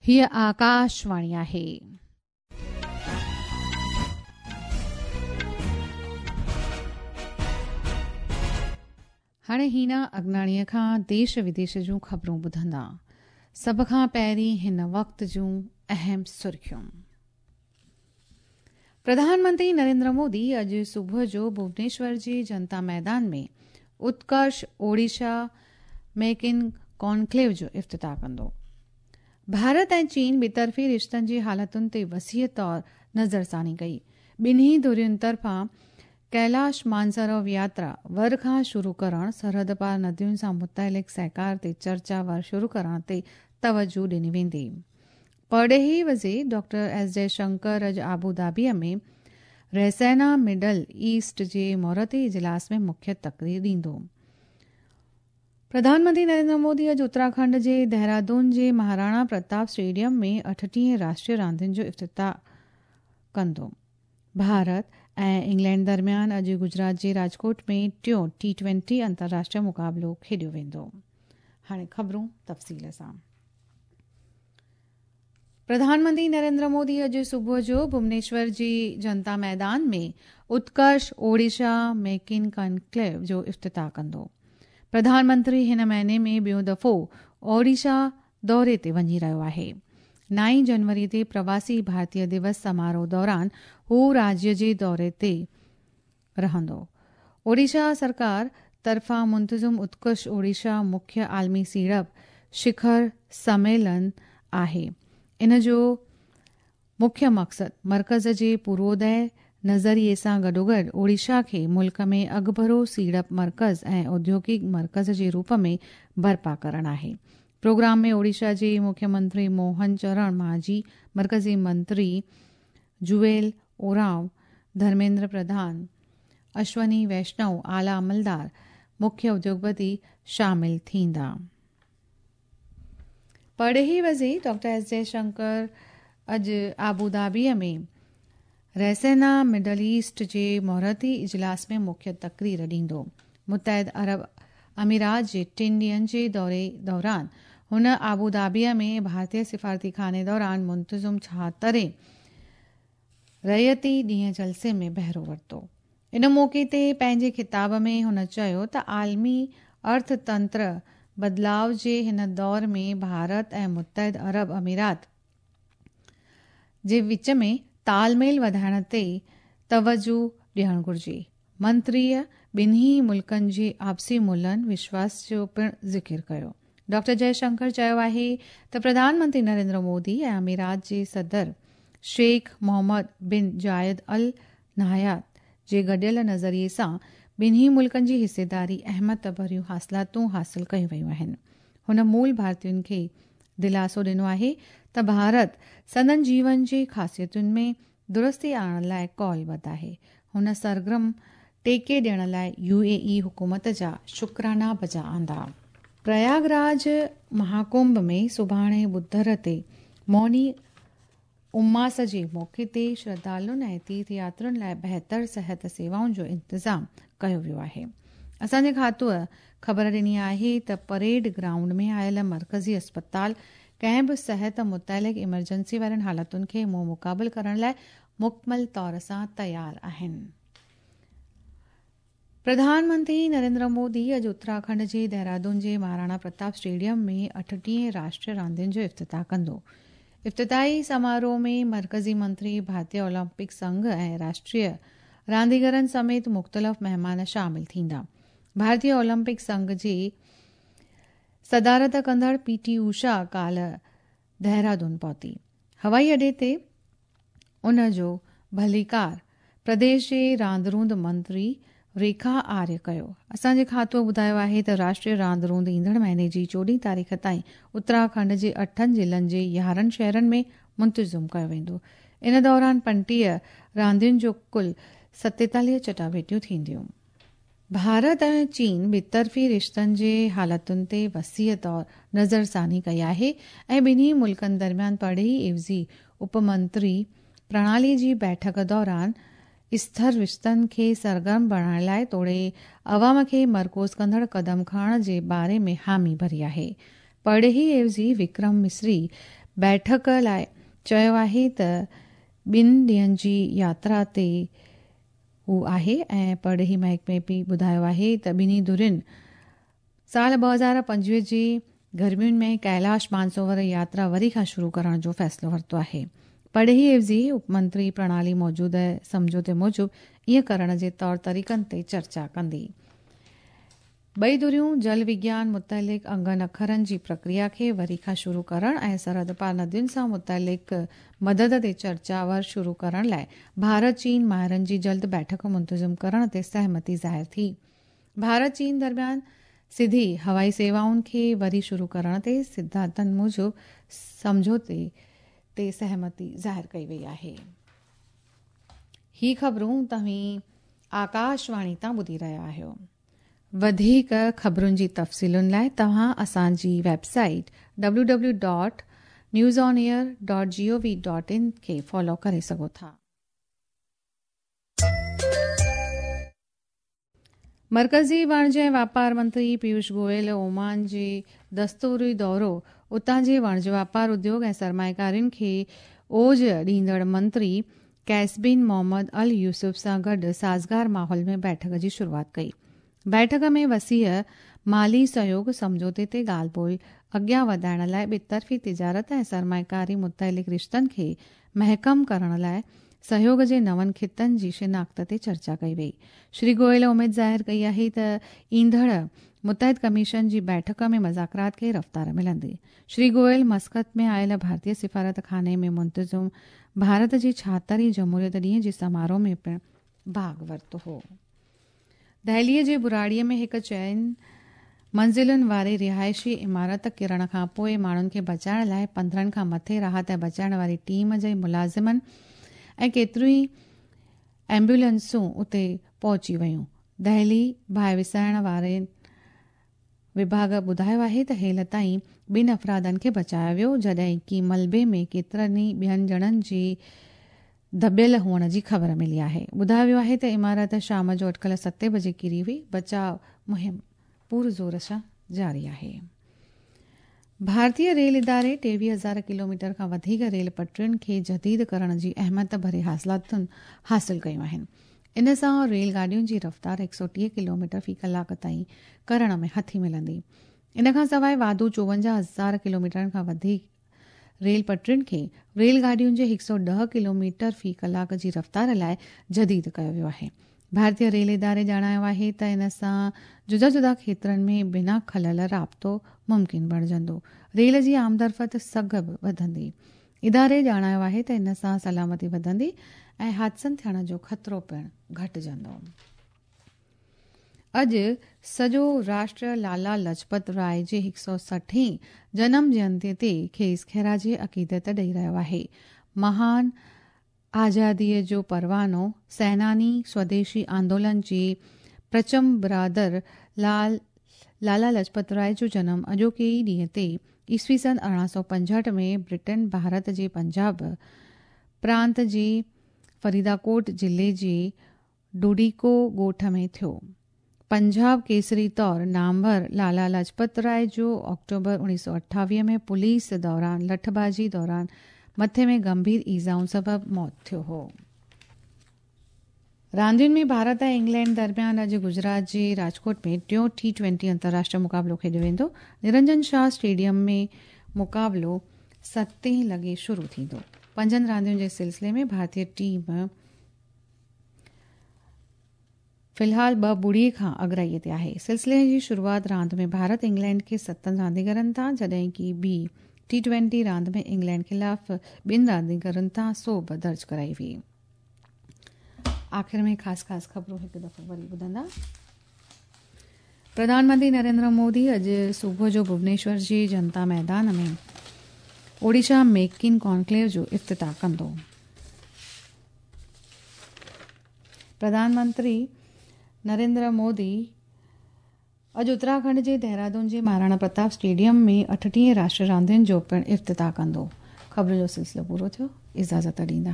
هيء آڪاشواڻي آهي. هاڻي هينا اگناڻيء کان ديش وديش جون خبرون ٻڌندا. سڀ کان پهرين هن وقت جون اهم سرخيون. پرڌان منتري نريندر مودي اڄ صبح جو ڀونيشور جي جنتا ميدان ۾ اتڪرش اوڙيشا ميڪ ان ڪانڪليو جو افتتاح ڪندو. ڀارت ۽ چين ٻطرفي رشتن جي حالتن تي وسيع طور نظرثاني ڪئي. ٻنهي ڌرين طرفان ڪيلاش مانسروور ياترا ور کان شروع ڪرڻ، سرحد پار ندين سان متعلق سهڪار تي چرچا ور شروع ڪرڻ تي توجهه ڏني ويندي. پرڏيهي وزير ڊاڪٽر ايس جئه شنڪر اڄ ابوڌابيء ۾ ريسينا مڊل ايسٽ جي مهورتي اجلاس ۾ مکيه تقرير ڏيندو. پرڌان منتري نريندر مودي اڄ اتراکنڊ جي دهرادون جي مهاراڻا پرتاپ اسٽيڊيم ۾ 38 راشٽريه راندين جو افتتاح ڪندو. ڀارت ۽ انگلينڊ درميان اڄ گجرات جي راجڪوٽ ۾ ٽيون ٽي ٽوئنٽي انترراشٽريه مقابلو کيڏيو ويندو. هاڻي خبرون تفصيل سان. پرڌان منتري نريندر مودي اڄ صبح جو ڀونيشور جي جنتا ميدان ۾ اتڪرش اوڙيشا ميڪ ان ڪانڪليو جو افتتاح ڪندو. پرڌان منتري هن مهيني ۾ ٻيون دفعو اوڙيشا دوري تي وڃي رهيو آهي. نائين جنوري تي پرواسي ڀارتيه دوس سماروهه دوران هو راجيه جي دوري تي رهندو. اوڙيشا سرڪار طرفان منتظم اتڪرش اوڙيشا مکيه عالمي سيڙپ شکر سميلن آهي. ان جو مکيه مقصد مرڪز جي پوروودئه نظريي سان گڏوگڏ اوڙيشا کي ملڪ ۾ اڳڀرو سيڙپ مرڪز ۽ اوديوگڪ مرڪز جي روپ ۾ برپا ڪرڻ آهي. پروگرام ۾ اوڙيشا جي مکيه منتري موهن چرڻ ماجهي، مرڪزي منتري جوئيل اورانو، ڌرميندر پرڌان، اشوني ويشنو، اعليٰ عملدار، مکيه اديوگپتي شامل ٿيندا. پرڏيهي وزير ڊاڪٽر ايس جئه شنڪر اڄ ابوڌابيء ۾ ريسينا مڊل ايسٽ جي مهورتي اجلاس ۾ مکيه تقرير ڏيندو. متحده عرب امارات جي ٽن ڏينهن جي دوري دوران هن ابوڌابيء ۾ ڀارتي سفارتي خاني دوران منتظم ڇاهترين رعيتي ڏينهن جلسي ۾ بهرو ورتو. ان موقعي تي پنهنجي خطاب ۾ هن چيو ته عالمي ارٿ تنتر بدلاء جي هن دور ۾ ڀارت ۽ متحده عرب امارات جي وچ ۾ تال ميل وڌائڻ تي توجهه ڏيڻ گهرجي. منتريء ٻنهي ملڪن جي آپسي ملهن وشواس جو پڻ ذڪر ڪيو. ڊاڪٽر جئه شنڪر چيو آهي ته پرڌان منتري نريندر مودي ۽ امارات جي صدر شيخ محمد بن زايد ال نهيان جي گڏيل نظريي سان ٻنهي ملڪن جي حصيداري اهميت ڀريون حاصلاتون حاصل ڪيون ويون آهن. هن مول ڀارتين کي دلاسو ڏنو آهي ته ڀارت سندن جيون جي خاصيتن ۾ درستي آڻڻ لاء قولبڌ آهي. هن سرگرم ٽيڪي ڏيڻ لاء يو اي اي حڪومت جا شڪرانا بجا آندا. پرياگ راج مهاڪنڀ ۾ سڀاڻي ٻڌر تي موني اماس جي موقعي تي شرڌالن ۽ تيرٿ ياترين لاء بهتر صحت سيوائن جو انتظام ڪيو ويو آهي. اسان جي کاتوء خبر ڏني آهي ته پريڊ گرائونڊ ۾ آيل مرڪزي اسپتال ڪنهن به صحت متعلق ايمرجنسي وارين حالتن کي منهن مقابل ڪرڻ لاء مڪمل طور سان تيار آهن. پرڌان منتري نريندر مودي اڄ اتراکنڊ جي دهرادون جي مهاراڻا پرتاپ اسٽيڊيم ۾ 38 راشٽريه راندين جو افتتاح ڪندو. افتتاحي سماروهه ۾ مرڪزي منتري، ڀارتيه اولمپڪ سنگهه ۽ راشٽريه رانديگرن سميت مختلف مهمان شامل ٿيندا. ڀارتيه اولمپڪ سنگهه جي صدارت ڪندڙ پي ٽي اوشا ڪالهه دهرادون پهتي. هوائي اڏي تي ان جو ڀليڪار پرديش جي راند روند منتري ريکا آريه ڪيو. اسان جي کاتوء ٻڌايو آهي ته راشٽريه راند روند ايندڙ مهيني جي 14 تاريخ تائين اتراکنڊ جي اٺن ضلعن جي 11 شهرن ۾ منتظم ڪيو ويندو. ان دوران 35 راندين جو ڪل 47 چٽاڀيٽيون ٿينديون. ڀارت ۽ چين ٻطرفي رشتن جي حالتن تي وسيع طور نظرثاني ڪئي آهي ۽ ٻنهي ملڪن درميان پرڏيهي عيوضي اپ منتري پرڻالي جي بيٺڪ دوران اسٿر رشتن کي سرگرم بڻائڻ لاء توڙي عوام کي مرڪوز ڪندڙ قدم کڻڻ جي باري ۾ حامي ڀري آهي. پرڏيهي عيوضي وڪرم مصري بيٺڪ لاءِ چيو آهي ته ٻن ڏينهن جي ياترا تي هو آهي ۽ پرڏيهي محڪمي به ٻڌايو آهي ته ٻنهي ڌرين سال 2025 جي گرمين ۾ ڪيلاش مانسروور ياترا وري کان شروع ڪرڻ جو فيصلو ورتو آهي. پرڏيهي عيوضي اپمنتري پرڻالي موجوده سمجهوتي موجب ائين ڪرڻ جي طور طريقن تي چرچا ڪندي. ٻئي ڌريون جل وگيان متعلق انگن اکرن جي پرڪريا کي وري کان شروع ڪرڻ ۽ سرحد پار ندين سان متعلق مدد تي چرچا ور شروع ڪرڻ لاءِ ڀارت چين ماهرن جي جلد بيٺڪ منتظم ڪرڻ تي سهمتي ظاهر ٿي. ڀارت چين درميان سڌي هوائي سيوائن کي وري شروع ڪرڻ تي سڌانتن موجب سمجهوتي تي سهمتي ظاهر ڪئي وئي آهي. هي خبرون توهين آڪاشواڻي تان ٻڌي رهيا آهيو. وڌيڪ خبرن جي تفصيلن لاءِ توهان اسان جي web site W W dot news on air dot G O V dot in کي فالو ڪري سگهو ٿا. مرڪزي واڻج ۽ واپار منتري پيوش گوئل اومان جي دستوري دورو اتان جي واڻج واپار اديوگ ۽ سرمائيڪارين کي اوج ڏيندڙ منتري قيس بن محمد ال يوسف سان گڏ سازگار ماحول ۾ بيٺڪ جي شروعات ڪئي. بيٺڪ ۾ وسيع مالي سهيوگ سمجهوتي تي ڳالهه ٻولهه اڳيان وڌائڻ لاءِ ٻطرفي تجارت ۽ سرمائيڪاري متعلق رشتن کي محڪم ڪرڻ لاءِ سهيوگ جي نون خطن جي شناخت تي چرچا ڪئي وئي. شري گوئل اميد ظاهر ڪئي آهي ته ايندڙ متحد ڪميشن جي بيٺڪ ۾ مذاڪرات کي رفتار ملندي. شري گوئل مسقط ۾ آيل ڀارتيه سفارت خاني ۾ منتظم ڀارت جي 76 جمهوريت ڏينهن جي سماروهه ۾ پڻ ڀاڳ ورتو هو. دهليءَ جي براڙيءَ ۾ هڪ چئن منزلن واري رهائشي عمارت ڪرڻ کان پوءِ ماڻهن کي بچائڻ لاءِ 15 کان مٿي راحت ۽ بچائڻ واري ٽيم جي ملازمن ۽ ڪيتريون ئي ايمبولينسون اتي پهچي ويون. دهلي باهه وسائڻ واري وڀاڳ ٻڌايو آهي ته هيل تائين ٻن افرادن کي بچايو ويو، جڏهن ڪه ملبي ۾ ڪيترن ئي ٻين ڄڻن جي دٻيل هئڻ جي خبر ملي آهي. ٻڌايو ويو آهي ته عمارت شام جو اٽڪل 7 بجي ڪري هئي. بچاء مهم پرزور سان جاري آهي. ڀارتيه ريل اداري 23,000 ڪلوميٽر کان وڌيڪ ريل پٽرين کي جديد ڪرڻ جي اهميت ڀري حاصلاتون حاصل ڪيون آهن. ان سان ريل گاڏين جي رفتار 130 ڪلوميٽر في ڪلاڪ تائين ڪرڻ ۾ هٿي ملندي. ان کان سواءِ واڌو 54,000 ڪلوميٽرن کان وڌيڪ ريل پٽرين کي ريل گاڏين جي 110 ڪلوميٽر في ڪلاڪ جي رفتار لاءِ جديد ڪيو ويو آهي. ڀارتيه ريل اداري ڄاڻايو آهي ته ان سان جدا جدا کيترن ۾ بنا خلل رابطو ممڪن بڻجندو. ريل جي آمدرفت سگهه به وڌندي. اداري ڄاڻايو آهي ته ان سان سلامتي وڌندي ۽ حادثن ٿيڻ جو خطرو پڻ گهٽجندو. اڄ سڄو راشٽر لالا لجپت راءِ جي 160هين جنم جينتي تي کيس خراج عقيدت ڏئي رهيو آهي. مهان آزاديءَ جو پروانو سيناني سوديشي آندولن جي پرچم برادر لالا لجپت راءِ جو جنم اڄوڪي ئي ڏينهن تي عيسوي سن 1865 ۾ برٽن ڀارت جي پنجاب پرانت جي فريداڪوٽ ضلعي جي ڊوڊيڪو ڳوٺ ۾ ٿيو. پنجاب ڪيسري طور نامور لالا لاجپت راءِ جو آڪٽوبر 1928 ۾ پوليس دوران لٺبازي دوران مٿي ۾ گنڀير ايذائن سبب موت ٿيو هو. راندين ۾ ڀارت ۽ انگلينڊ درميان اڄ گجرات جي راجڪوٽ ۾ ٽيون ٽي-20 انترراشٽريه مقابلو کيڏيو ويندو. نرنجن شاهه اسٽيڊيم ۾ مقابلو 7 لڳي شروع ٿيندو. 5 راندين جي سلسلي ۾ ڀارتيه ٽيم في الحال 2-0 کان اڳرائيءَ تي آهي. سلسلي جي شروعات راند ۾ ڀارت انگلينڊ کي 7 رانديگرن تان، جڏهن ڪه ٻي ٽي-20 راند ۾ انگلينڊ خلاف 2 رانديگرن تان سوڀ درج ڪرائي وئي. آخر ۾ خاص خاص خبرون هڪ دفعو وري ٻڌندا. پرڌان منتري نريندر مودي اڄ صبح جو ڀونيشور جي جنتا ميدان ۾ اوڙيشا ميڪ ان ڪانڪليو جو افتتاح ڪندو. پرڌان منتري نريندر مودي اڄ اتراکنڊ جي دهرادون جي مهاراڻا پرتاپ اسٽيڊيم ۾ 38 راشٽريه راندين جو پڻ افتتاح ڪندو. خبرن جو سلسلو پورو ٿيو. اجازت ڏيندا.